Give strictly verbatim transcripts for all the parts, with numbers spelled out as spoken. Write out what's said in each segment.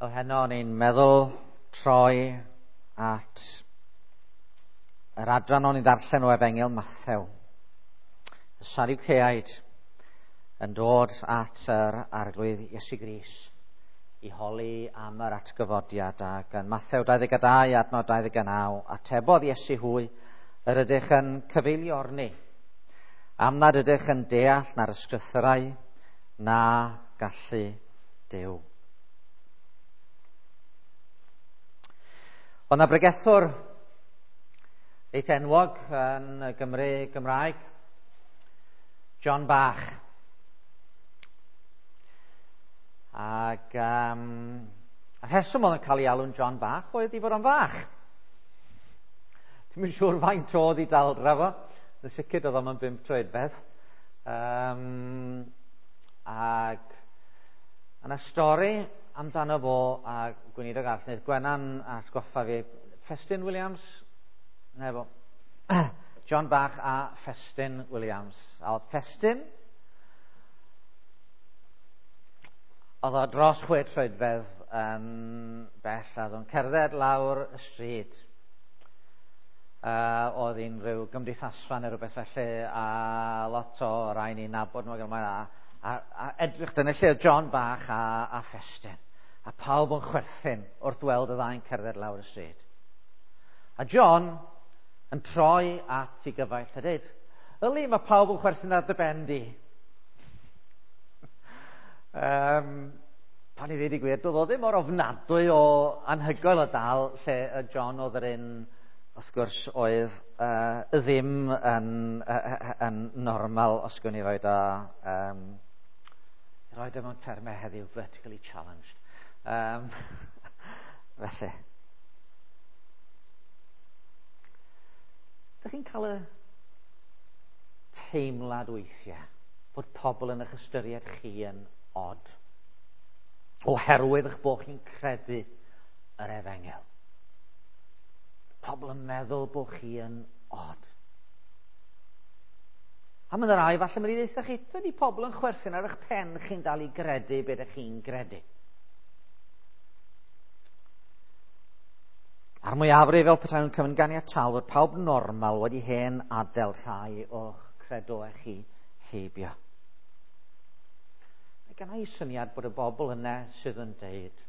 O heno o'n i'n meddwl troi at yr adran o'n i'n ddarllen o Efengyl Mathew. Y Sadwceaid yn dod at yr Arglwydd Iesu Grist i holi am yr atgyfodiad, ac yn Mathew dau ddeg dau adnod dau ddeg naw, atebodd Iesu hwy, yr ydych yn cyfeiliorni, am nad ydych yn deall na'r ysgrythurau na gallu Duw. Oedd 'na bregethwr reit enwog yn y Gymru Gymraeg, John Bach. Ac um, y rheswm oedd yn cael ei alw'n John Bach oedd i fod o'n fach. Dwi'm yn siŵr faint oedd i daldra fo. Yn sicr oedd o'n bump troedfedd. Um, ac yna stori amdano fo a gweinidog arall, neu Gwenan atgoffa fi, Ffestin Williams, neu fo, John Bach a Ffestin Williams. A oedd Ffestin, oedd o dros chwe troedfedd yn bell, a oedd o'n cerdded lawr y stryd. Uh, oedd hi'n rhyw gymdeithasfa neu rhywbeth felly, a lot o rai ni'n nabod nhw, a, a, a edrych dyna lle oedd John Bach a, a Ffestin. A pawb yn chwerthin wrth weld y ddau'n cerdded lawr y stryd. A John yn troi at ei gyfaill a dweud, yli, mae pawb yn chwerthin ar dy ben di. um, pan i ddweud i gwir, doedd o ddim mor ofnadwy o anhygoel o dal lle y John oedd yr un, wrth gwrs, oedd uh, ddim yn, uh, yn normal, os gwn i roed o, um, roed o mewn termau heddiw, vertically challenged. Um, felly, dych chi'n cael y teimlad weithiau bod pobl yn eich ystyried chi yn odd oherwydd eich bod chi'n credu yr efengyl. Pobl yn meddwl bod chi yn odd. A mae'n rai, falle mae'n i ddeutha chi, dydy pobl yn chwerthin ar eich pen chi'n dal i gredu beth ydych chi'n gredu. A'r mwyafrif fel petai nhw'n cymryd ganiataol fod pawb normal wedi hen adael rhai o'ch credoau chi heibio. Mae gen i syniad bod y bobl yna sydd yn deud,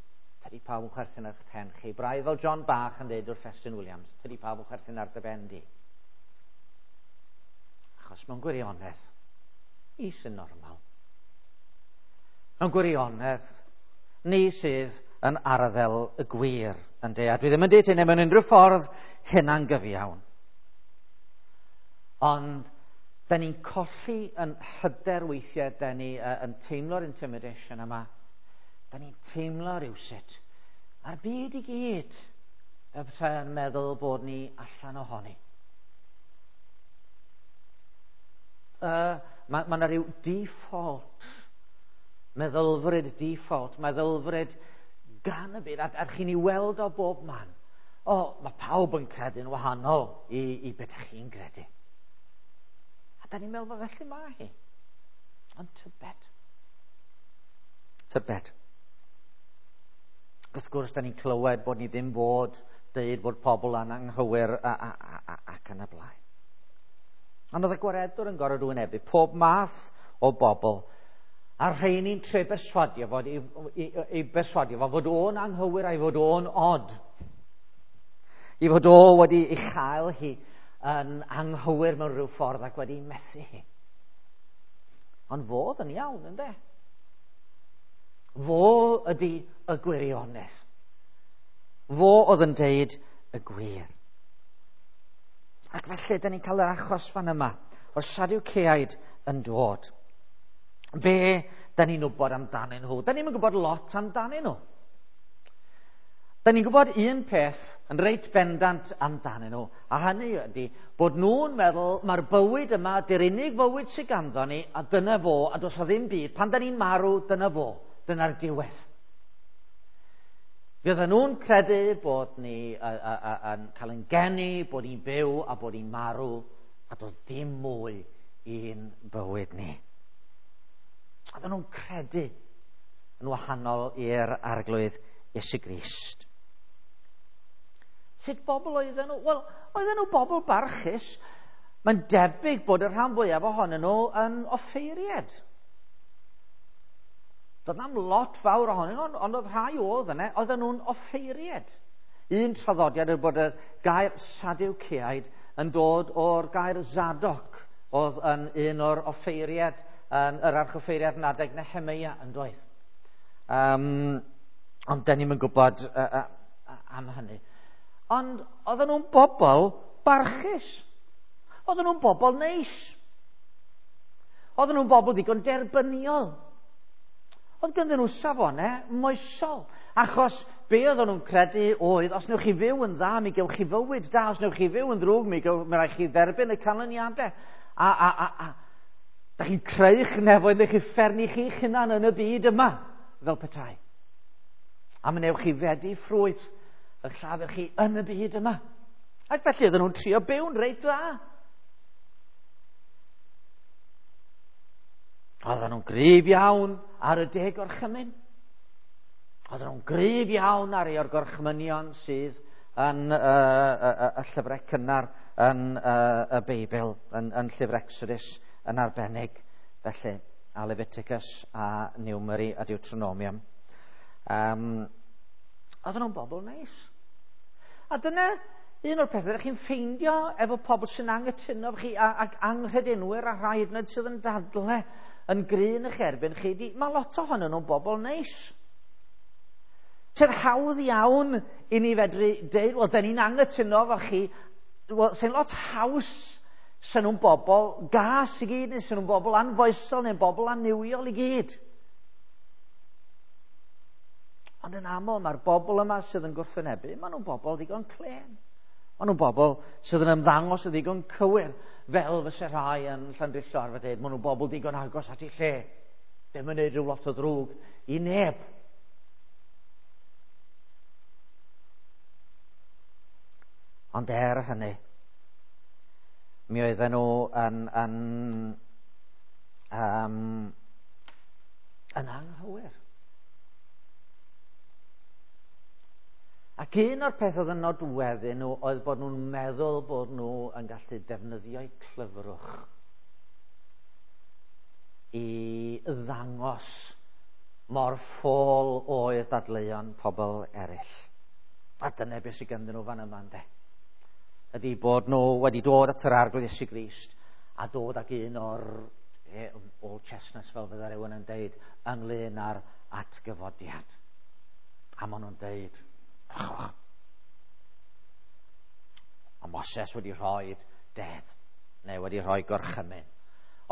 tydi pawb yn chwerthin ar eich pen chi. Braidd fel John Bach yn deud wrth Ffestin Williams, tydi pawb yn chwerthin ar dy ben di. Achos mewn gwirionedd, ni sy'n normal. Mewn gwirionedd, ni sydd yn arddel y gwir. Ynde, a dwi ddim yn deud hynny mewn unrhyw ffordd hunangyfiawn. Ond da ni'n colli yn hyder weithiau, da ni uh, yn teimlo'r intimidation yma. Da ni'n teimlo rhywsut. A'r byd i gyd y petai yn meddwl bod ni allan ohoni. Uh, mae ma 'na rhyw default, meddylfryd default, meddylfryd gan y byd, a, a chi'n ei weld o bob man. O, mae pawb yn credu'n wahanol i, i beth ych chi'n credu. A da ni'n meddwl bod felly mae hi. Ond tybed. Tybed. Wrth gwrs, da ni'n clywed bod ni ddim fod deud bod pobl yn anghywir a, a, a, a, ac yn y blaen. Ond oedd y gwaredwr yn gorfod wynebu pob math o bobl, a rheini'n trio berswadio fod i, i, i berswadio fo fod o'n anghywir a'i fod o'n od. I fod o wedi ei chael hi yn anghywir mewn rhyw ffordd ac wedi methu hi. Ond fodd yn iawn, ynde? Fo ydy y gwirionedd. Fo oedd yn deud y gwir. Ac felly, da ni'n cael yr achos fan yma o'r Sadwceaid yn dod. Be da ni'n wybod amdanyn nhw? Da ni'n gwybod lot amdanyn nhw. Da ni'n gwybod un peth yn reit bendant amdanyn nhw, a hynny ydy bod nhw'n meddwl mae'r bywyd yma, dy'r unig fywyd sydd ganddo ni, a dyna fo, a does o ddim byd. Pan da ni'n marw, dyna fo, dyna'r diwedd. Fydden nhw'n credu bod ni a, a, a, yn cael ein geni, bod ni'n byw a bod ni'n marw, a does dim mwy i'n bywyd ni. Oedden nhw'n credu yn wahanol i'r Arglwydd Iesu Grist. Sut bobl oedden nhw? Wel, oedden nhw bobl barchus. Mae'n debyg bod y rhan fwyaf ohonyn nhw yn offeiried. Doedd na'm lot fawr ohonyn nhw, ond oedd rhai oedd yna, oedden nhw'n offeiried. Un traddodiad yw bod y gair Sadwceaid yn dod o'r gair Zadok, oedd yn un o'r offeiried, yn yr archoffeiriad yn adeg Nehemeia yn doedd. Um, ond den ni'm yn gwybod uh, uh, am hynny. Ond oedden nhw'n bobl barchus. Oedden nhw'n bobl neis. Oedden nhw'n bobl ddigon derbyniol. Oedd ganddyn nhw safonau moesol. Achos be oedden nhw'n credu oedd, os newch chi fyw yn dda, mi gewch chi fywyd da. Os newch chi fyw yn ddrwg, mi, gewch, mi rhaid chi dderbyn y canlyniadau. A, a, a, a da chi'n creu'ch nefoedd neu chi ffernu chi'ch hunan yn y byd yma, fel petai. A mi newch chi fedi ffrwyth eich llafur chi yn y byd yma. Ac felly oedden nhw'n trio byw'n reit dda. Oedden nhw'n gryf iawn ar y deg orchymyn. Oedden nhw'n gryf iawn ar ei o'r gorchmynion sydd yn uh, y, y, y llyfrau cynnar yn uh, y Beibl, yn, yn llyfr Exodus yn arbennig. Felly, a Leviticus a Numeri a Deuteronomium. Um, oedden nhw'n bobl neis. A dyna un o'r pethau ydych chi'n ffeindio efo pobl sy'n anghytuno efo chi ac anghredinwyr a rhai hyd yn oed sydd yn dadle yn gryn eich erbyn chi, di, mae lot ohonyn nhw'n bobl neis. Sy'n hawdd iawn i ni fedru deud, wel, da ni'n anghytuno efo chi, wel, sy'n lot haws sy'n nhw'n bobl gas i gyd, neu sy'n nhw'n bobl anfoesol, neu'n bobl annuwiol i gyd. Ond yn aml, mae'r bobl yma sydd yn gwrthwynebu, maen nhw'n bobl ddigon clên. Maen nhw'n bobl sydd yn ymddangos yn ddigon cywir, fel fyse rhai yn Llandrillo arfer dweud, maen nhw'n bobl ddigon agos at eu lle. Ddim yn neud rhyw lot o ddrwg i neb. Ond er hynny, mi oedden nhw yn, yn, um, yn anghywir. Ac un o'r peth oedd yn nodweddu nhw oedd bod nhw'n meddwl bod nhw yn gallu defnyddio'u clyfrwch i ddangos mor ffôl oedd dadleuon pobl eraill. A dyna beth sydd ganddyn nhw fan yma, ynde? Ydy bod nhw wedi dod at yr Arglwydd Iesu Grist a dod ag un o'r eh, old chestnuts, fel fydda rhywun yn deud, ynglyn â'r atgyfodiad. A maen nhw'n deud, oh, a Moses wedi rhoi deddf, neu wedi rhoi gorchymyn.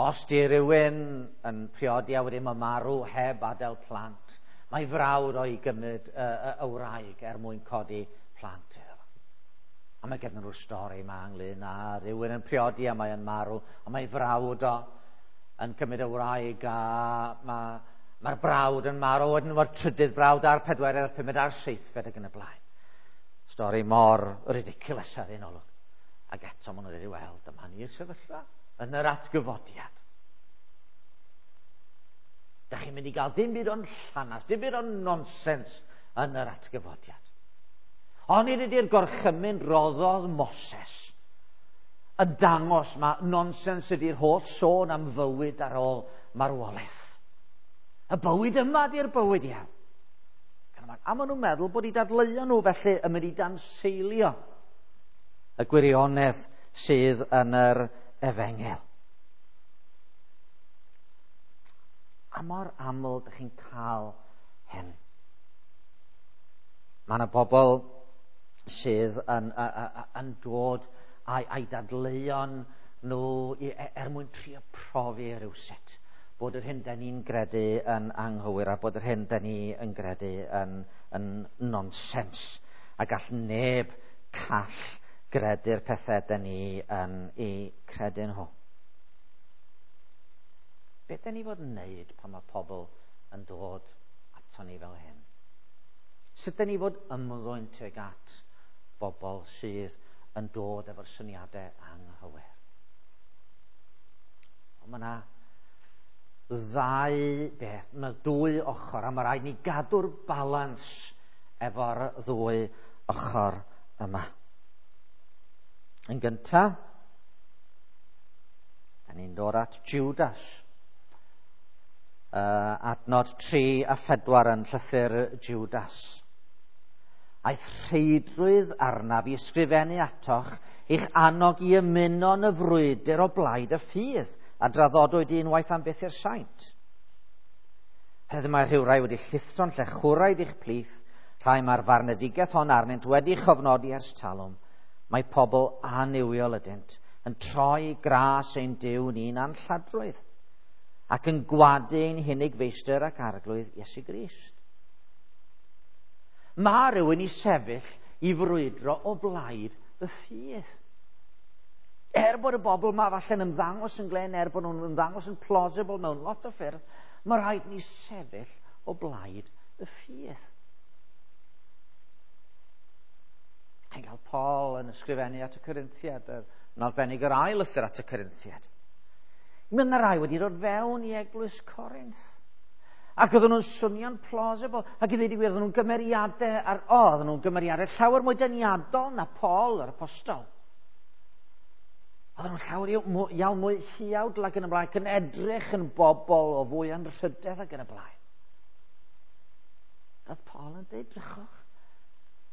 Os di rhywun yn priodi a wedyn mae marw heb adael plant, mae frawd o'i gymryd y, y, y wraig er mwyn codi plant iddo. A mae gen nhw'r stori yma ynglyn â rhywun yn priodi a mae yn marw, a mae frawd o yn cymryd y wraig a mae Mae'r brawd yn marw, wedyn mae'r trydydd brawd a'r pedwerydd, a'r pumed a'r seithfed ac yn y blaen. Stori mor ridiculous ar un olwg. Ac eto maen nhw'n dweud, wel, dyma ni'r sefyllfa yn yr atgyfodiad. Da chi'n mynd i gael dim byd o'n llanas, dim byd o'n nonsens yn yr atgyfodiad. Ond nid ydy'r gorchymyn roddodd Moses yn dangos mae nonsens ydy'r holl sôn am fywyd ar ôl marwolaeth. Y bywyd yma di'r bywyd iawn. A maen nhw'n meddwl bod eu dadleuon nhw felly yn mynd i danseilio y gwirionedd sydd yn yr efengyl. A mor aml ydych chi'n cael hyn. Mae yna bobl sydd yn, yn dod a'i, a'i dadleuon nhw er mwyn trio profi rhywsut bod yr hyn da ni'n gredu yn anghywir a bod yr hyn da ni yn gredu yn, yn nonsens. A gall neb call gredu'r pethau da ni yn eu credu nhw. Be da ni fod yn neud pan mae pobl yn dod ato ni fel hyn? Sut da ni fod ymddwyn tuag at bobl sydd yn dod efo'r syniadau anghywir? Ond mae yna ddau beth, mae dwy ochr, a mae rhaid ni gadw'r balans efo'r ddwy ochr yma. Yn gyntaf, da ni'n dod at Judas. Uh, adnod tri a phedwar yn llythyr Judas. Aeth rheidrwydd arnaf i ysgrifennu atoch i'ch annog i ymuno yn y frwydr o blaid y ffydd a draddodwyd unwaith am byth i'r saint. Heddiw mae rhywrai wedi llithro'n llechwraidd i'ch plith, rhai mae'r farnedigaeth hon arnynt wedi chofnodi ers talwm. Mae pobl annuwiol ydynt yn troi gras ein Duw ni'n anlladrwydd ac yn gwadu ein hunig feistr ac arglwydd Iesu Grist. Mae rhywun i sefyll i frwydro o blaid y ffydd. Er bod y bobl yma falle'n ymddangos yn glên, er bod nhw'n ymddangos yn plausible mewn lot o ffyrdd, mae rhaid ni sefyll o blaid y ffydd. Chi'n cael Paul yn ysgrifennu at y Corinthiad, yn arbennig yr ail lythyr at y Corinthiad. Mae yna rai wedi dod fewn i eglwys Corinth. Ac oedden nhw'n swnio'n plausible. Ac i ddweud i gwir, oedden nhw'n gymeriadau, ar, o, oedden nhw'n gymeriadau llawer mwy deniadol na Paul yr apostol. Oedden nhw'n llawer iawn mwy huawdl ac yn y blaen, ac yn edrych yn bobl o fwy anrhydedd ac yn y blaen. Oedd Paul yn dweud, drychwch,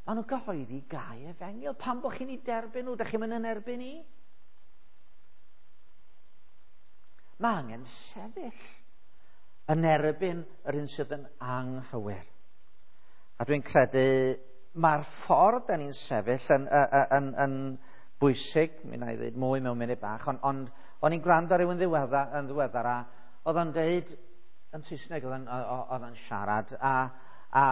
maen nhw'n cyhoeddi gau efengyl. Pam bod chi'n ei derbyn nhw? Dych chi'n mynd yn erbyn i? Mae angen sefyll yn erbyn yr un sydd yn anghywir. A dwi'n credu mae'r ffordd da ni'n sefyll yn, yn, yn, yn bwysig, mi wna i ddweud mwy mewn munud bach, ond on, o'n i'n gwrando ar rywun ddiweddar, yn ddiweddar a oedd o'n deud, yn Saesneg oedd o'n siarad, a, a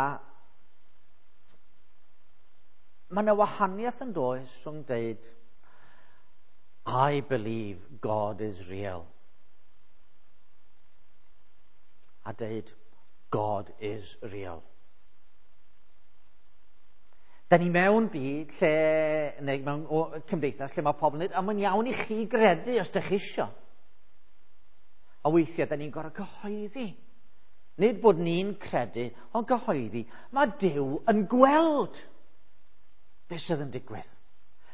mae yna wahaniaeth yn does rhwng deud, I believe God is real, a deud, God is real. Da ni mewn byd lle, neu mewn cymdeithas lle mae pobl yn dweud, a mae'n iawn i chi gredu os ydych chi isio. A weithiau, da ni'n gorfod cyhoeddi. Nid bod ni'n credu, ond cyhoeddi. Mae Duw yn gweld beth sydd yn digwydd.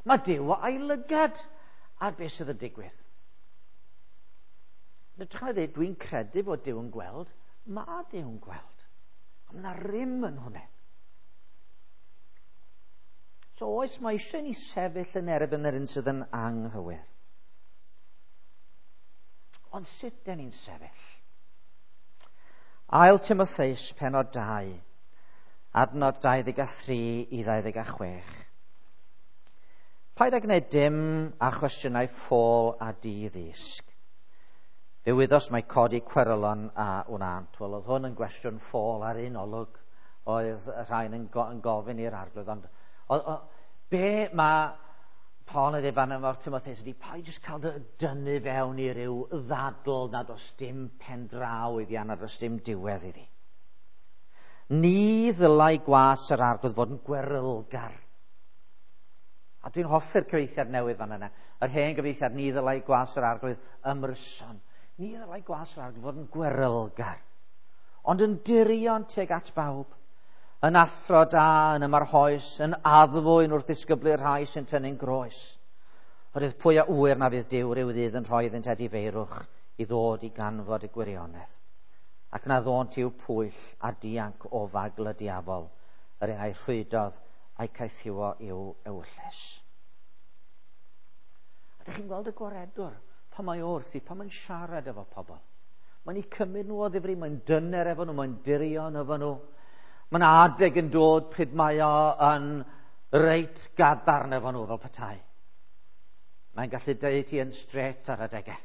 Mae Duw a'i lygad ar beth sydd yn digwydd. Yn hytrach na dweud, dwi'n credu bod Duw yn gweld, mae Duw yn gweld. A mae yna rym yn hwnna. So oes, mae eisiau ni sefyll yn erbyn yr un sydd yn anghywir. Ond sut dyn ni'n sefyll? Ail Timotheus, penod dau, adnod dau ddeg a thri i ddau ddeg a chwech. Paid â gwneud dim a chwestiynau ffôl a di-ddysg. Fe wyddos mae codi cwerylon a wnânt. Wel, oedd hwn yn gwestiwn ffôl ar un olwg oedd y rhain yn, go yn gofyn i'r arglwydd. Ond o, o, be mae Paul yn dweud fan yma o'r Timotheus ydy, paid jyst cael dy dynnu fewn i ryw ddadl nad oes dim pen draw iddi a nad oes dim diwedd iddi. Ni ddylai gwas yr arglwydd fod yn gwerylgar. A dwi'n hoffi'r cyfieithiad newydd fan yna. Yr hen gyfieithiad, ni ddylai gwas yr arglwydd ymryson. Ni ddylai gwas yr arglwydd fod yn gwerylgar, ond yn dirion tuag at bawb, yn athro da, yn ymarhoes, yn addfwyn wrth ddisgyblu'r rhai sy'n tynnu'n groes. Oherwydd pwy a ŵyr na fydd Duw ryw ddydd yn rhoi iddynt edifeirwch i ddod i ganfod y gwirionedd, ac na ddônt i'w pwyll a dianc o fagl y diafol, yr un a'i rhwydodd a'i caethiwo i'w ewyllys. A ydych chi'n gweld y gwaredwr pan mae wrth i, pan mae'n siarad efo pobl. Mae'n eu cymryd nhw o ddifri, mae'n dyner efo nhw, mae'n dirion efo nhw. Mae'n adeg yn dod pryd mae o yn reit gadarn efo nhw fel petai. Mae'n gallu deud ti yn straight ar adegau.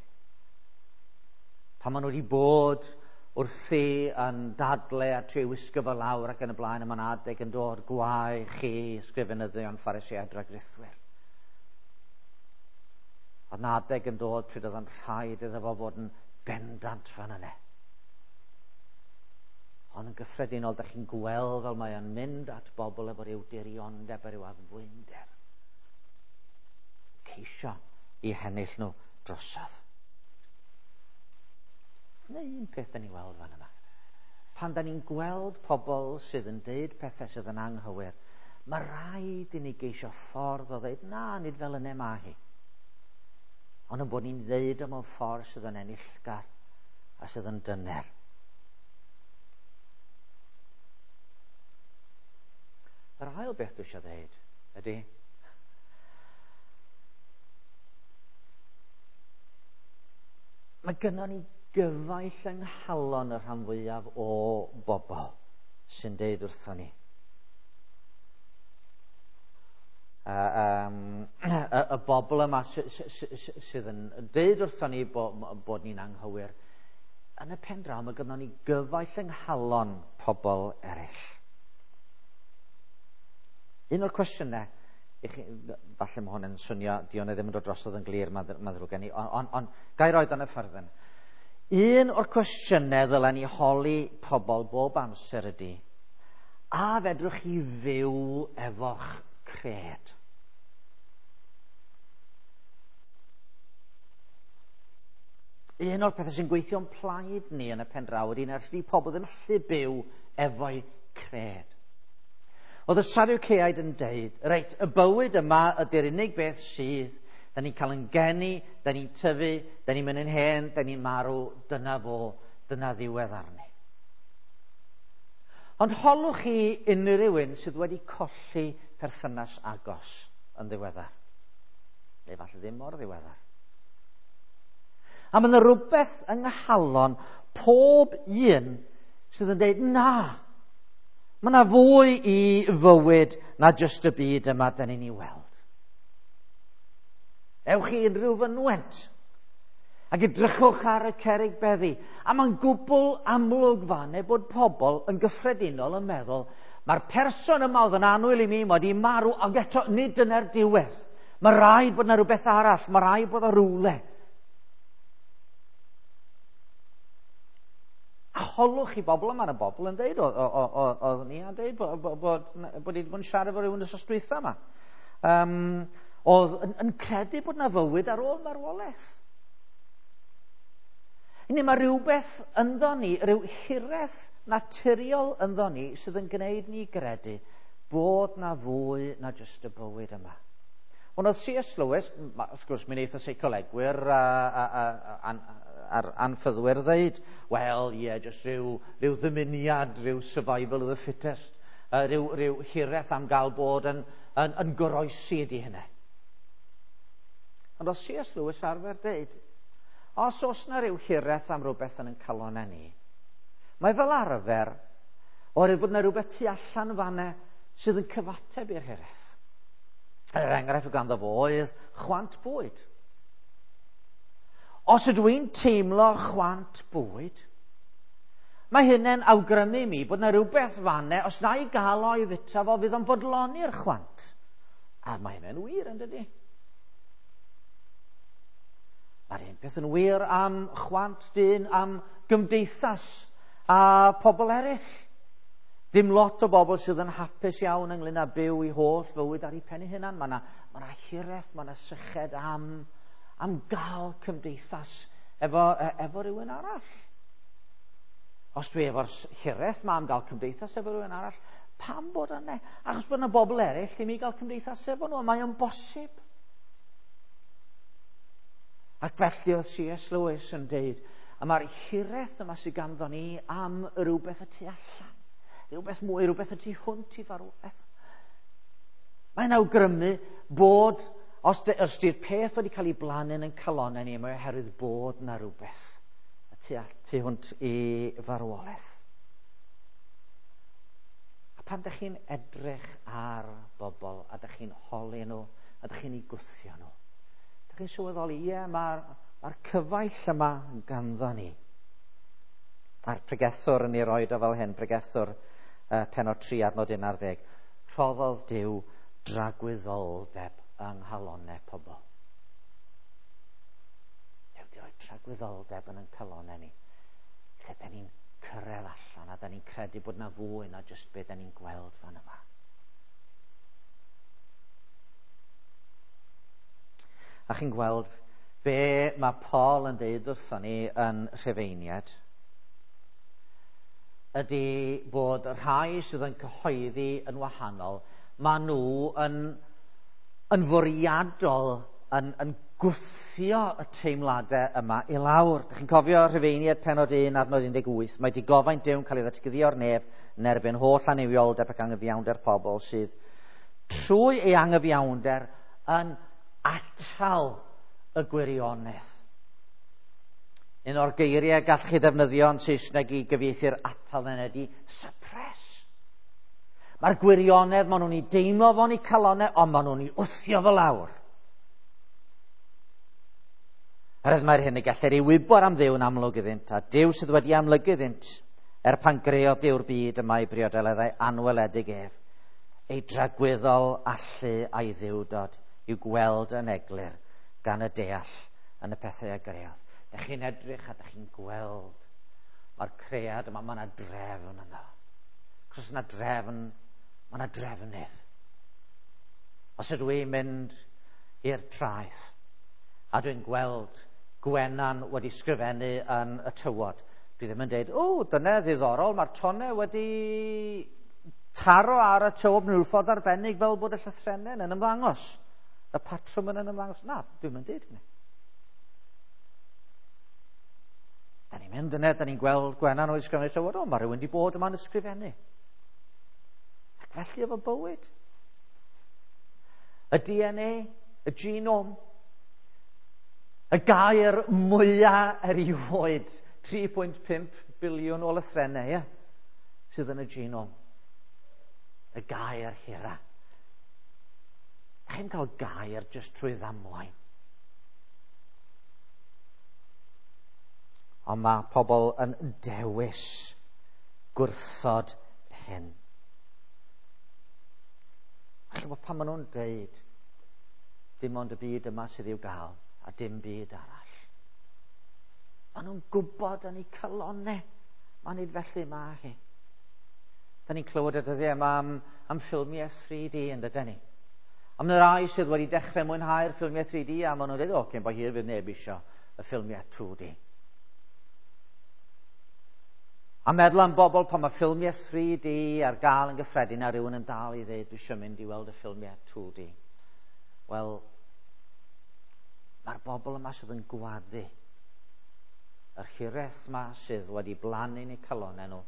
Pan maen nhw wedi bod wrthi yn dadle a trio wisgo fo lawr ac yn y blaen, a mae'n adeg yn dod, gwae chi, ysgrifenyddion, Phariseaid, dragrithwyr. Oedd yna adeg yn dod pryd oedd yn rhaid iddo fo fod yn bendant fan yna. Ond yn gyffredinol, da chi'n gweld fel mae o'n mynd at bobl efo ryw diriondeb a ryw addfwynder. Ceisio i hennill nhw drosodd. Neu un peth da ni weld fan yma. Pan da ni'n gweld pobl sydd yn deud pethau sydd yn anghywir, mae rhaid i ni geisio ffordd o ddeud, na, nid fel yna mae hi. Ond yn bod ni'n ddeud o mewn ffordd sydd yn enillgar a sydd yn dyner. Yr ail beth dwi eisiau ddeud ydy, mae gynnon ni gyfaill yng nghalon y rhan fwyaf o bobl sy'n deud wrthon ni. Uh, um, y, y bobl yma sy, sy, sy, sydd yn deud wrthon ni bo, bod ni'n anghywir, yn y pen draw mae gynnon ni gyfaill yng nghalon pobl eraill. Un o'r cwestiynau, i chi, falle mae hwn yn swnio, di hwn ddim yn dod drosodd yn glir, mae'n ma ddrwg gen i, ond on, on, gai roed yn y ffyrddyn. Un o'r cwestiynau ddylen ni holi pobl bob amser ydy, a fedrwch chi fyw efo'ch cred? Un o'r pethau sy'n gweithio'n plaid ni yn y pen draw ydy nes di pobl ddim allu byw efo'u cred. Oedd y Sadwceaid yn deud, reit, y bywyd yma ydy'r unig beth sydd, da ni'n cael yn geni, da ni'n tyfu, da ni'n mynd yn hen, da ni'n marw, dyna fo, dyna ddiwedd arni. Ond holwch chi unrhyw un sydd wedi colli perthynas agos yn ddiweddar. Neu falle ddim mor ddiweddar. A mae yna rhywbeth yng nghalon pob un sydd yn deud, na, mae yna fwy i fywyd na jyst y byd yma da ni'n ei weld. Ewch i unrhyw fynwent ac edrychwch ar y cerrig beddi. A mae'n gwbl amlwg fan bod pobl yn gyffredinol yn meddwl, mae'r person yma oedd yn annwyl i mi, mae wedi marw, ac eto nid dyna'r diwedd. Mae rhaid bod yna rhywbeth arall, mae rhaid bod o rywle. A holwch i bobl yma, yna bobl yn deud, oedd ni yn deud bod, bod, bod, bod wedi bod yn siarad efo rhywun wsos dwytha yma. Um, oedd yn, yn credu bod yna fywyd ar ôl marwolaeth. Ni, mae rhywbeth ynddo ni, rhyw hiraeth naturiol ynddo ni sydd yn gwneud ni gredu bod na fwy na jyst y bywyd yma. Ond oedd C S Lewis, wrth gwrs mi wnaeth y seicolegwyr a, a, a, a, a'r anffyddwyr ddeud, wel, ie, yeah, jyst rhyw, rhyw ddymuniad, rhyw survival of the fittest, uh, rhyw, rhyw hiraeth am gael bod yn, yn, yn goroesi ydy hynny. Ond oedd C S Lewis arfer deud, os oes na rhyw hiraeth am rhywbeth yn ein calonau ni, mae fel arfer, oherwydd bod na rhywbeth tu allan fanna sydd yn cyfateb i'r hiraeth. Er enghraifft ganddo fo oedd chwant bwyd. Os ydw i'n teimlo chwant bwyd, mae hynny'n awgrymu mi bod na rhywbeth fanna, os na i gael o i fita fo, fydd o'n bodloni'r chwant. A mae hynny'n wir, yn dydi? Mae'r un peth yn wir am chwant dyn, am gymdeithas a pobl eraill. Dim lot o bobl sydd yn hapus iawn ynglyn â byw i holl fywyd ar ei pen ei hunan. Mae yna, mae yna hiraeth, mae yna syched am, am gael cymdeithas efo, efo rhywun arall. Os dwi efo'r hiraeth ma am gael cymdeithas efo rhywun arall, pam bod yna? Achos bod yna bobl eraill i mi gael cymdeithas efo nhw, mae o'n bosib. Ac felly oedd C S Lewis yn deud, a mae'r hiraeth yma sydd ganddo ni am rhywbeth y tu allan, rhywbeth mwy, rhywbeth y tu hwnt i farwolaeth. Mae'n awgrymu bod, os, de, os di'r peth wedi cael ei blannu yn calonau ni, mae oherwydd bod na rhywbeth y tu, tu hwnt i farwolaeth. A pan dych chi'n edrych ar bobl, a dych chi'n holi nhw, a dych chi'n eu gwthio nhw, chi'n sylweddoli, ie, mae'r mae cyfaill yma ganddo ni. A'r pregethwr yn ei roed o fel hyn, pregethwr uh, pennod tri adnod un ar ddeg, rhoddodd Duw dragwyddoldeb yng nghalonau pobl. Duw di roi tragwyddoldeb yn ein calonau ni, lle da ni'n cyrraedd allan a da ni'n credu bod na fwy na jyst be da ni'n gweld fan yma. A chi'n gweld be mae Paul yn deud wrthon ni yn Rhufeiniaid. ydy bod y rhai sydd yn cyhoeddi yn wahanol, maen nhw yn, yn fwriadol yn, yn gwthio y teimladau yma i lawr. Dych chi'n cofio Rhufeiniaid pennod un adnod un deg wyth, mae digofaint Duw'n cael ei ddatguddio o'r nef yn erbyn holl annuwioldeb ac anghyfiawnder pobl sydd trwy ei anghyfiawnder yn atal y gwirionedd. Un o'r geiriau gall chi ddefnyddio yn Saesneg i gyfieithu'r atal yn ydy suppress. Mae'r gwirionedd, maen nhw'n ei deimlo fo'n ei calonau, ond maen nhw'n ei wthio fo lawr. Herwydd mae'r hyn y gellir ei wybod am Dduw yn amlwg iddynt, a Duw sydd wedi amlygu iddynt, er pan greodd Duw'r byd y mae briodeleddau anweledig ef, ei dragwyddol allu a'i ddiwdod i'w gweld yn eglur gan y deall yn y pethau a greodd. Dych chi'n edrych a dych chi'n gweld mae'r cread yma, mae yna drefn yna. Cos yna drefn, mae yna drefnydd. Os ydw i'n mynd i'r traeth a dwi'n gweld Gwenan wedi sgrifennu yn y tywod, dwi ddim yn dweud, o, dyna ddiddorol, mae'r tonnau wedi taro ar y tywod mewn ffordd arbennig fel bod y llythrennau yn ymddangos. Y patrwm yn ymddangos. Na, dwi'n mynd dweud hynny. Da ni'n mynd yna, da ni'n gweld Gwenan wedi ysgrifennu tywod, o, mae rhywun wedi bod yma'n ysgrifennu. Ac felly efo bywyd. Y D N A, y genome, y gair mwyaf erioed, tri pwynt pump biliwn o lythrennau, ie, sydd yn y genome. Y gair hira. Da chi'n cael gair jyst trwy ddamwain. Ond mae pobl yn dewis gwrthod hyn. Felly pan maen nhw'n dweud dim ond y byd yma sydd i'w gael a dim byd arall, maen nhw'n gwybod yn eu calonnau. Mae'n nid felly mae hi. Da ni'n clywed y dyddiau yma am, am ffilmiau three D yn dydyn ni. Am y rai sydd wedi dechrau mwynhau'r ffilmiau three D a maen nhw'n dweud, o, cyn bo hir fydd neb isio y ffilmiau two D. A meddwl am bobl pan mae ffilmiau three D ar gael yn gyffredin a rhywun yn dal i ddeud, dwi eisiau mynd i weld y ffilmiau two D. Wel, mae'r bobl yma sydd yn gwadu yr hiraeth yma sydd wedi blannu yn eu calonnau nhw,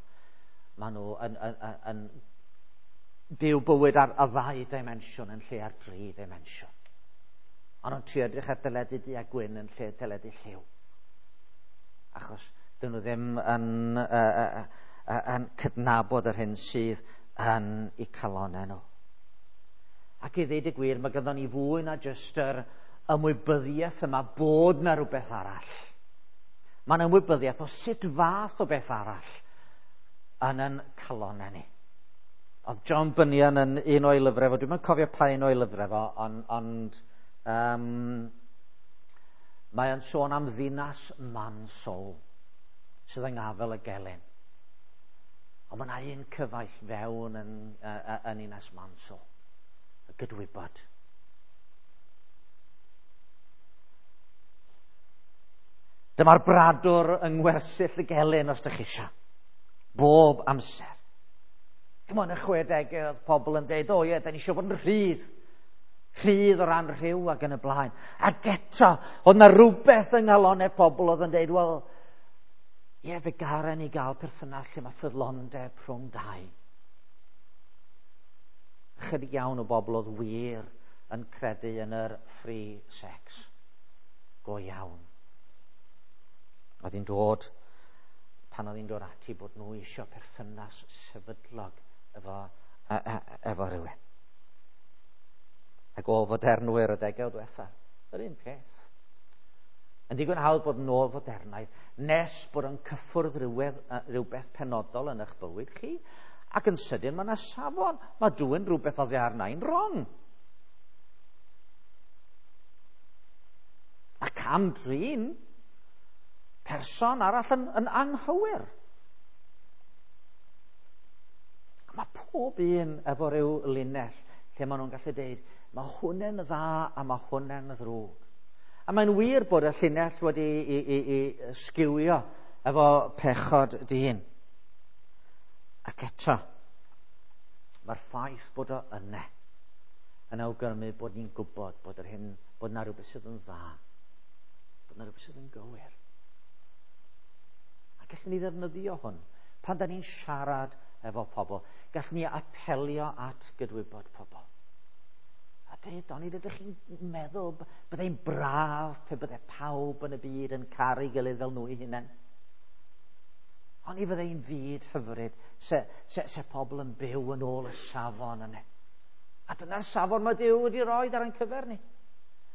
maen nhw yn, yn, yn, yn byw bywyd ar y ddau dimensiwn yn lle ar dri dimensiwn. Maen nhw'n trio edrych ar deledu du a gwyn yn lle teledu lliw. Achos dyn nhw ddim yn, uh, uh, uh, yn cydnabod yr hyn sydd yn eu calonnau nhw. Ac i ddeud y gwir, mae ganddo ni fwy na jyst yr ymwybyddiaeth yma bod na rhywbeth arall. Mae'n ymwybyddiaeth o sut fath o beth arall yn yn calonnau ni. Oedd John Bunyan yn un o'i lyfrau fo, dwi'm yn cofio pa un o'i lyfrau fo, ond, ond um, mae o'n sôn am ddinas Mansoul sydd yng ngafel y gelyn. Ond mae yna un cyfaill fewn yn, uh, yn ninas Mansoul, y gydwybod. Dyma'r bradwr yng ngwersyll y gelyn os ydych chi eisiau. Bob amser. Dim ond y chwedegau oedd pobl yn dweud, o ie, da ni eisiau bod yn rhydd. Rhydd o ran rhyw ac yn y blaen. Ac eto, oedd yna rhywbeth yng nghalonnau pobl oedd yn dweud, wel, ie, fe garen ni gael perthynas lle mae ffyddlondeb rhwng dau. Ychydig iawn o bobl oedd wir yn credu yn yr free sex. Go iawn. Oedd hi'n dod, pan oedd hi'n dod ati bod nhw eisiau perthynas sefydlog efo, e, e, efo rhywun. Ac ôl-fodernwyr y degawd diwetha, yr un peth. Yn digon hawdd bod yn ôl-fodernaidd nes bod yn cyffwrdd rhywedd, rhywbeth penodol yn eich bywyd chi, ac yn sydyn mae yna safon, mae dwyn rhywbeth oddi arna i'n wrong. Mae cam-drin person arall yn, yn anghywir. Mae pob un efo rhyw linell lle maen nhw'n gallu deud, mae hwnna'n dda a mae hwnna'n ddrwg. A mae'n wir bod y llinell wedi i, i, i sgiwio efo pechod dyn. Ac eto, mae'r ffaith bod o yna yn awgrymu bod ni'n gwybod bod yr hyn, bod 'na rhywbeth sydd yn dda, bod 'na rhywbeth sydd yn gywir. A gallwn ni ddefnyddio hwn pan da ni'n siarad efo pobl. Gallwn ni apelio at gydwybod pobl. A dweud, onid ydych chi'n meddwl byddai'n braf pe bydde pawb yn y byd yn caru gilydd fel nhw eu hunain? Oni fyddai'n fyd hyfryd se, se, se pobl yn byw yn ôl y safon yna. A dyna'r safon mae Duw wedi rhoi ar ein cyfer ni.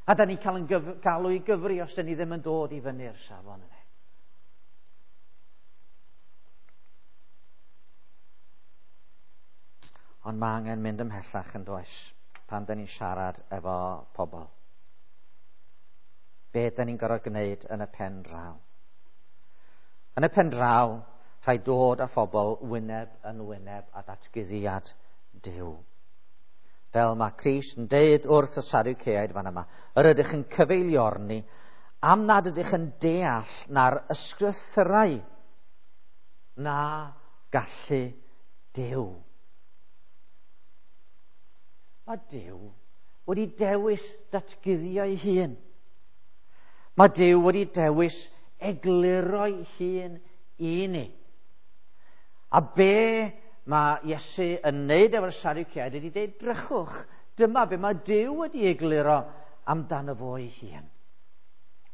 A da ni'n cael yn gyf, galw i gyfri os da ni ddim yn dod i fyny'r safon yna. Ond mae angen mynd ymhellach yn does pan da ni'n siarad efo pobl. Be da ni'n gorfod gwneud yn y pen draw? Yn y pen draw, rhaid dod â phobl wyneb yn wyneb a datguddiad Duw. Fel mae Crist yn deud wrth y Sadwceaid fan yma, yr ydych yn cyfeiliorni am nad ydych yn deall na'r ysgrythyrau na gallu Duw. Mae Duw wedi dewis datguddio'i hun. Mae Duw wedi dewis egluro'i hun i ni. A be mae Iesu yn neud efo'r Sadwceaid ydy deud, drychwch, dyma be mae Duw wedi egluro amdano fo ei hun.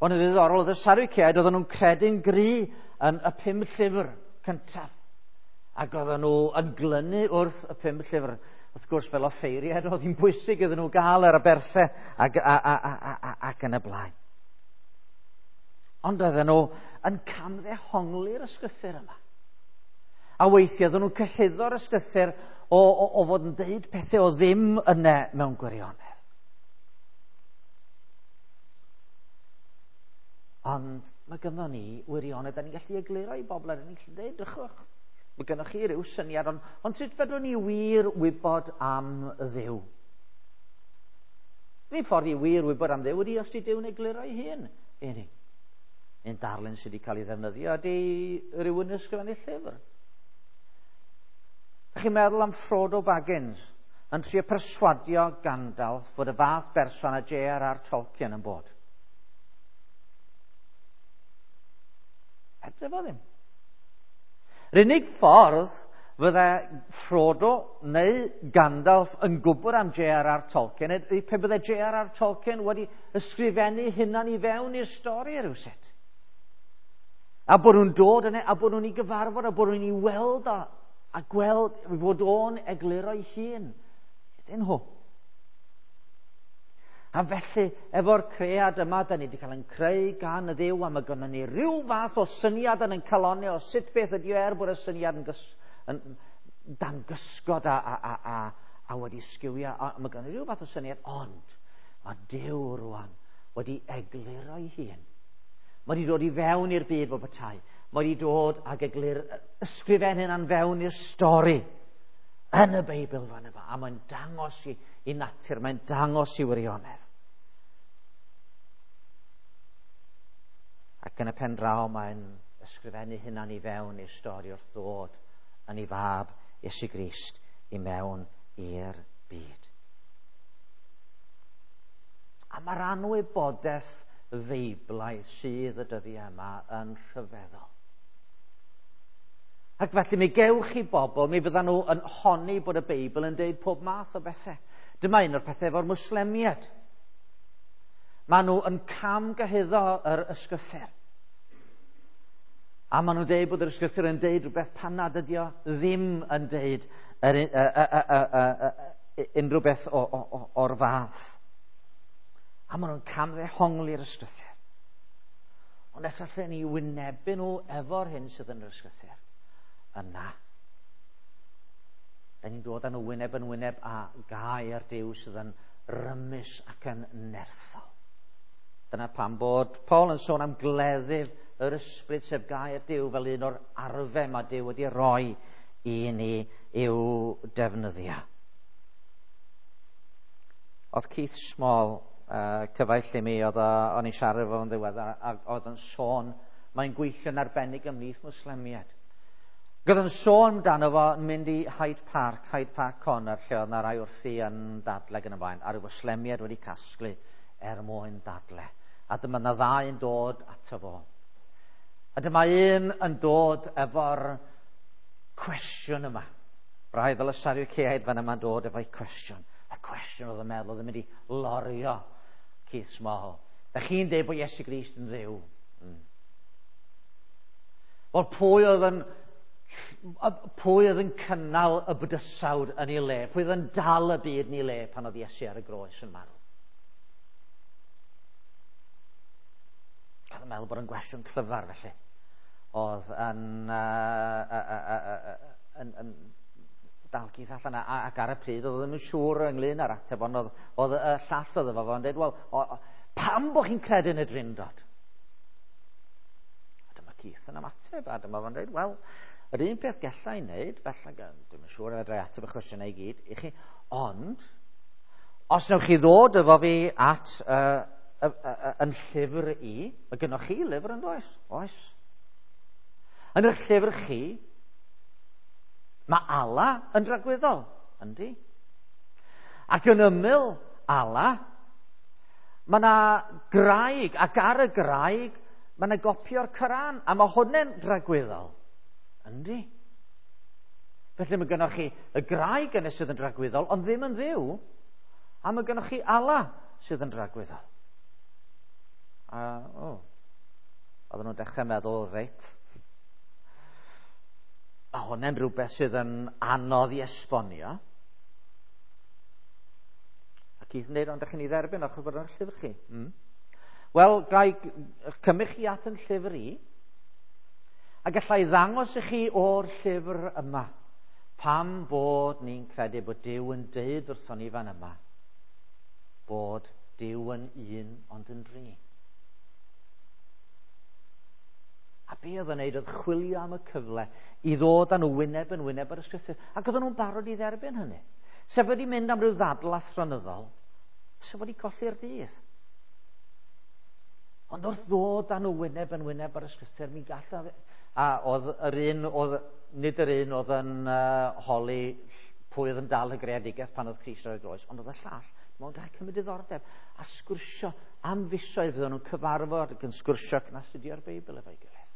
Ond yn ddiddorol, oedd y Sadwceaid, oedden nhw'n credu'n gry yn y pum llyfr cyntaf. Ac oedden nhw yn glynu wrth y pum llyfr. Wrth gwrs, fel offeiriad, oedd hi'n bwysig iddyn nhw gael yr aberthau ac, a, a, a, a, ac yn y blaen. Ond oedden nhw yn camddehongli'r ysgrythur yma. A weithiau oedden nhw'n cyhuddo'r ysgrythur o, o, o fod yn deud pethau o ddim yna mewn gwirionedd. Ond mae gynno ni wirionedd, da ni'n gallu egluro i bobl, da ni'n gallu deud, drychwch, mae gynnoch chi ryw syniad, ond, ond sut fedrwn ni wir wybod am Dduw? Yr unig ffordd i wir wybod am Dduw ydy os di Duw'n egluro ei hun i ni. Un darlun sydd wedi cael ei ddefnyddio ydy rhywun yn ysgrifennu llyfr. Ydych chi'n meddwl am Frodo Baggins yn trio perswadio Gandalf fod y fath berson a J R R Tolkien yn bod? Edrych fo ddim. Yr unig ffordd fydde Frodo neu Gandalf yn gwybod am J R R Tolkien ydy pe bydde J R R Tolkien wedi ysgrifennu hunan i fewn i'r stori rywsut. A bod nhw'n dod yna, a bod nhw'n ei gyfarfod, a bod nhw'n ei weld o, a gweld fod o'n egluro'i hun iddyn nhw. A felly, efo'r cread yma, da ni wedi cael yn creu gan y Dduw, a mae gynnon ni ryw fath o syniad yn ein calonnau o sut beth ydy o, er bod y syniad yn, gys, yn dan gysgod a, a, a, a, a wedi sgiwio, a mae gynnon ni ryw fath o syniad, ond mae Duw rwan wedi egluro'i hun. Mae wedi dod i fewn i'r byd fel petai. Mae wedi dod ag eglur ysgrifennu hynna'n fewn i'r stori yn y Beibl fan yma. A mae'n dangos i, i natur, mae'n dangos i wirionedd. Ac yn y pen draw mae'n ysgrifennu hynna'n i fewn i'r stori wrth ddod yn ei fab Iesu Grist i mewn i'r byd. A mae'r anwybodaeth feiblaidd sydd y dyddiau yma yn rhyfeddol. Ac felly mi gewch chi bobl, mi fyddan nhw yn honni bod y Beibl yn deud pob math o bethau. Dyma un o'r pethau efo'r Mwslemiaid. Maen nhw yn camgyhuddo yr ysgrythur. A maen nhw'n deud bod yr ysgrythur yn deud rhywbeth pan nad ydi o ddim yn deud yr, y, y, y, y, y, unrhyw beth o, o, o'r fath. A maen nhw'n camddehongli'r ysgrythur. Ond os allan ni wynebu nhw efo'r hyn sydd yn yr ysgrythur, yna, da ni'n dod â nhw wyneb yn wyneb a gair Duw sydd yn rymus ac yn nerthol. Dyna pam bod Paul yn sôn am gleddyf yr ysbryd, sef gair Duw, fel un o'r arfau mae Duw wedi rhoi i ni i'w defnyddio. Oedd Keith Small, uh, cyfaill i mi, oedd o'n i'n siarad efo fo'n ddiweddar, ac oedd yn sôn, mae'n gweithio'n arbennig ymhlith Mwslemiaid. Gyda'n sôn amdano fo yn mynd i Hyde Park, Hyde Park Corner, lle oedd yna rai wrthi yn dadle yn y blaen, a rhyw Fwslemiaid wedi casglu er mwyn dadle. A dyma yna ddau yn dod ato fo. A dyma un yn dod efo'r cwestiwn yma. Braidd fel y Sadwceaid fan yma'n dod efo'i cwestiwn. Y cwestiwn oedd yn meddwl oedd yn mynd i lorio Keith Small. Da chi'n deud bod Iesu Grist yn Dduw? Mm. Wel, pwy oedd yn pwy oedd yn cynnal y bydysawd yn ei le? Pwy oedd yn dal y byd yn ei le pan oedd Iesu ar y groes yn marw? Cael yn meddwl bod yn gwestiwn clyfar felly. Oedd yn, uh, uh, uh, uh, uh, yn, yn dal Keith allan, a, ac ar y pryd oedd ddim yn siŵr ynglyn â'r ateb, ond oedd, oedd y llall oedd efo fo'n dweud, wel, o, o, pam bod chi'n credu yn y Drindod? A dyma Keith yn ymateb, a dyma fo'n dweud, wel, yr un peth galla i wneud, felly, dwi'm yn siŵr fedra i ateb y cwestiynau i gyd i chi, ond, os newch chi ddod efo fi at uh, uh, uh, yn llyfr i, mae gynnoch chi lyfr yn does? Oes. Yn eich llyfr chi, mae Allah yn dragwyddol, yndi? Ac yn ymyl Allah, mae yna graig, ac ar y graig, mae yna gopi o'r Coran, a mae hwnna'n dragwyddol. Yndi? Felly mae gennych chi y graig yna sydd yn dragwyddol, ond ddim yn Dduw, a mae gennych chi Allah sydd yn dragwyddol. A, o, oedden nhw'n dechrau meddwl, reit, mae hwnna'n rhywbeth sydd yn anodd i esbonio. A Keith yn dweud, ond ydych chi'n ei dderbyn o'ch bod yn llyfr chi? Mm. Wel, gai cymryd chi at yn llyfr i, a gallai ddangos i chi o'r llyfr yma pam bod ni'n credu bod Duw yn deud wrthon ni fan yma bod Duw yn un ond yn dri. A be oedd yn neud oedd chwilio am y cyfle i ddod â nhw wyneb yn wyneb ar y Ysgrythur. Ac oedden nhw'n barod i dderbyn hynny. Sef wedi mynd am ryw ddadl athronyddol, sef wedi colli'r dydd. Ond wrth ddod â nhw wyneb yn wyneb ar y Ysgrythur, mi gallaf... A oedd yr un, oedd, nid yr un oedd yn uh, holi pwy oedd yn dal y greadigaeth pan oedd Crist ar y groes, ond oedd y llall, mewn dau cymryd diddordeb, a sgwrsio am fisoedd fydden nhw'n cyfarfod ac yn sgwrsio ac yn astudio'r Beibl efo'i gilydd.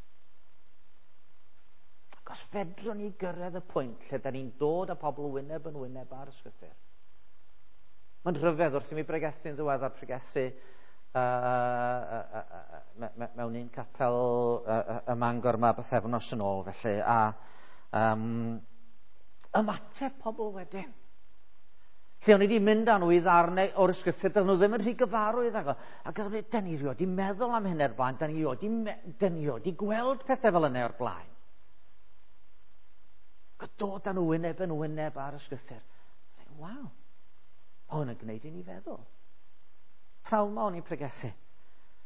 Ac os fedrwn ni gyrraedd y pwynt lle da ni'n dod â pobl wyneb yn wyneb ar y Ysgrythur. Mae'n rhyfedd wrth i mi bregethu'n ddiweddar, pregethu Uh, uh, uh, uh, mewn un capel uh, uh, ym Mangor yma bythefnos yn ôl felly, a um, ymateb pobl wedyn. Lle o'n i wedi mynd â nhw i ddarnau o'r Ysgrythur, dydyn nhw ddim yn rhy gyfarwydd ag o. Ac oedden nhw, da ni rioed di meddwl am hyn o'r blaen, da ni rioed di gweld pethau fel yna o'r blaen. Ac dod â nhw wyneb yn wyneb ar Ysgrythur. Waw, hwn yn gwneud i ni feddwl. Prawn ma o'n i'n pregethu.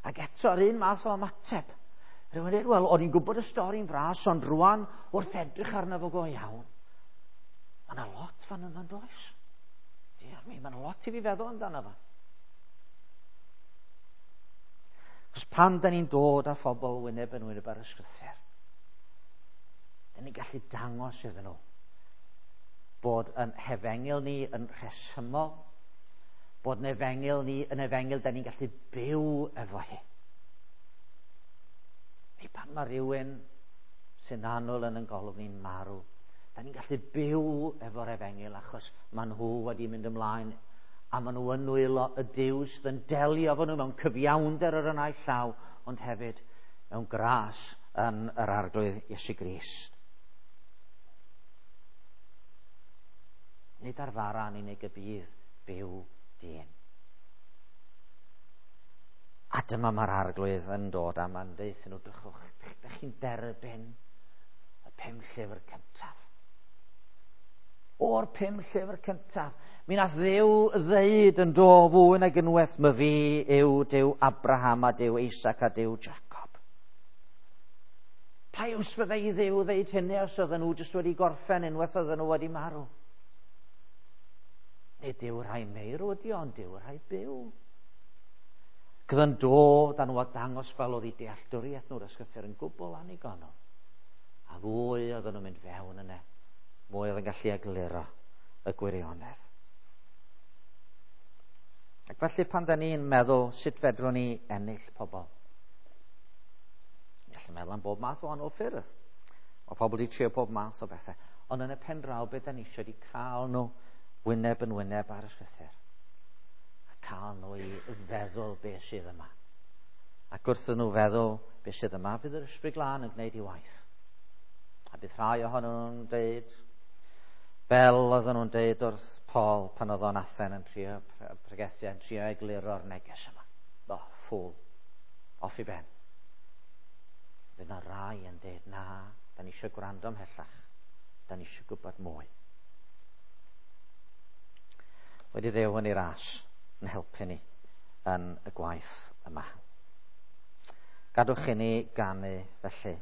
Ac eto, yr un math o ymateb. Rwy'n dweud, wel, o'n i'n gwybod y stori'n fras, ond rwan, wrth edrych arno fo go iawn, mae yna lot fan yma'n does. Diar mi, mae yna lot i fi feddwl amdano fo. Cos pan da ni'n dod â phobl wyneb yn wyneb ar y Ysgrythur, da ni'n gallu dangos iddyn nhw bod yn hefengyl ni yn rhesymol, bod yn efengyl ni yn efengyl da ni'n gallu byw efo hi. Neu pan mae rhywun sy'n annwyl yn ein golwg ni'n marw, da ni'n gallu byw efo'r efengyl achos maen nhw wedi mynd ymlaen a maen nhw yn nwylo y Duw sydd yn delio efo nhw mewn cyfiawnder ar y naill llaw, ond hefyd mewn gras yn yr Arglwydd Iesu Grist. Nid ar fara yn unig y bydd byw dyn. A dyma mae'r Arglwydd yn dod a mae'n deud nhw, drychwch, dych chi'n derbyn y pum llyfr cyntaf. O'r pum llyfr cyntaf, mi nath Dduw ddeud yn do fwy nag unwaith, my fi yw Duw Abraham a Duw Isaac a Duw Jacob. Pa iws fyddai i Dduw ddeud hynny os oedden nhw jyst wedi gorffen unwaith oedden nhw wedi marw? Nid Duw rhai meirw ydi, ond Duw rhai byw. Gyda yn dod â nhw a dangos fel oedd eu dealltwriaeth nhw'r Ysgrythur yn gwbl annigonol. A fwy oedden nhw'n mynd fewn yna, mwy oedd yn gallu egluro y gwirionedd. Ac felly pan da ni'n meddwl sut fedrwn ni ennill pobl, gallu meddwl am bob math o wahanol ffyrdd. Mae pobl wedi trio pob math o bethau. Ond yn y pen draw, beth da ni eisiau wedi cael nhw wyneb yn wyneb ar y ysgrythur. A cael nhw i feddwl beth sydd yma. Ac wrth nhw feddwl beth sydd yma, fydd yr Ysbryd Glân yn gwneud ei waith. A bydd rhai ohonyn nhw'n deud, fel oedden nhw'n deud wrth Paul pan oedd o'n Athen yn trio pregethu, yn trio egluro'r neges yma. O, oh, ffwl. Off i ben. Fydd yna rai yn deud, na, da ni eisiau gwrando ymhellach. Da ni eisiau gwybod mwy. Wedi Dduw yn ei ras yn helpu ni yn y gwaith yma. Gadwch i ni ganu felly.